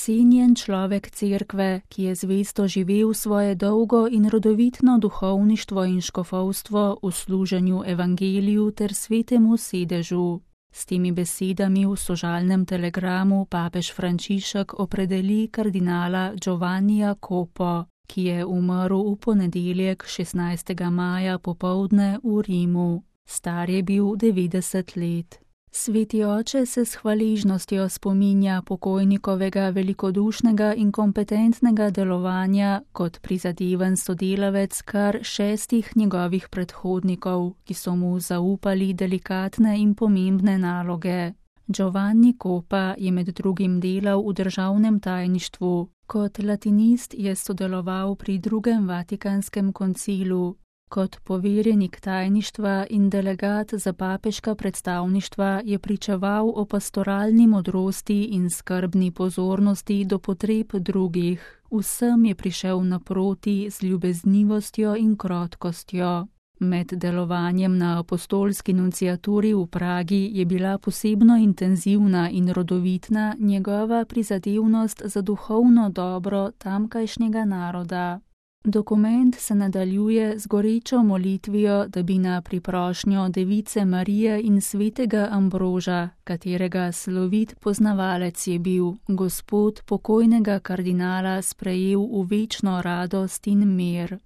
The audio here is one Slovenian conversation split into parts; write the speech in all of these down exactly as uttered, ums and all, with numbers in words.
cenjen človek cerkve, ki je zvesto živel svoje dolgo in rodovitno duhovništvo in škofovstvo v služenju evangeliju ter svetemu sedežu. S temi besedami v sožalnem telegramu papež Frančišek opredeli kardinala Giovannija Copo, ki je umrl v ponedeljek šestnajstega maja popoldne v Rimu. Star je bil devetdeset let. Sveti oče se s hvaležnostjo spominja pokojnikovega velikodušnega in kompetentnega delovanja kot prizadeven sodelavec kar šestih njegovih predhodnikov, ki so mu zaupali delikatne in pomembne naloge. Giovanni Copa je med drugim delal v državnem tajništvu. Kot latinist je sodeloval pri drugem Vatikanskem koncilu. Kot poverjenik tajništva in delegat za papeška predstavništva je pričeval o pastoralni modrosti in skrbni pozornosti do potreb drugih. Vsem je prišel naproti z ljubeznivostjo in krotkostjo. Med delovanjem na apostolski nunciaturi v Pragi je bila posebno intenzivna in rodovitna njegova prizadevnost za duhovno dobro tamkajšnjega naroda. Dokument se nadaljuje z gorečo molitvijo, da bi na priprošnjo Device Marije in svetega Ambroža, katerega slovit poznavalec je bil, Gospod pokojnega kardinala sprejel v večno radost in mir.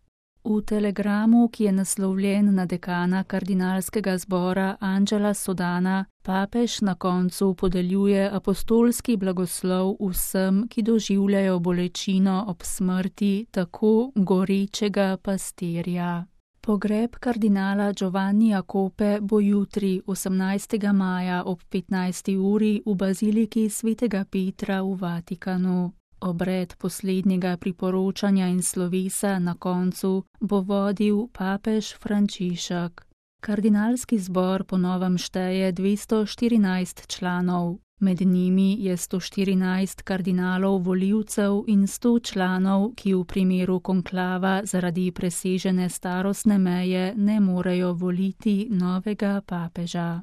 V telegramu, ki je naslovljen na dekana kardinalskega zbora Angela Sodana, papež na koncu podeljuje apostolski blagoslov vsem, ki doživljajo bolečino ob smrti tako gorečega pastirja. Pogreb kardinala Giovannija Cope bo jutri, osemnajstega maja ob petnajsti uri v baziliki svetega Petra v Vatikanu. Obred poslednjega priporočanja in slovesa na koncu bo vodil papež Frančišek. Kardinalski zbor po novem šteje dvesto štirinajst članov. Med njimi je sto štirinajst kardinalov volivcev in sto članov, ki v primeru konklava zaradi presežene starostne meje ne morejo voliti novega papeža.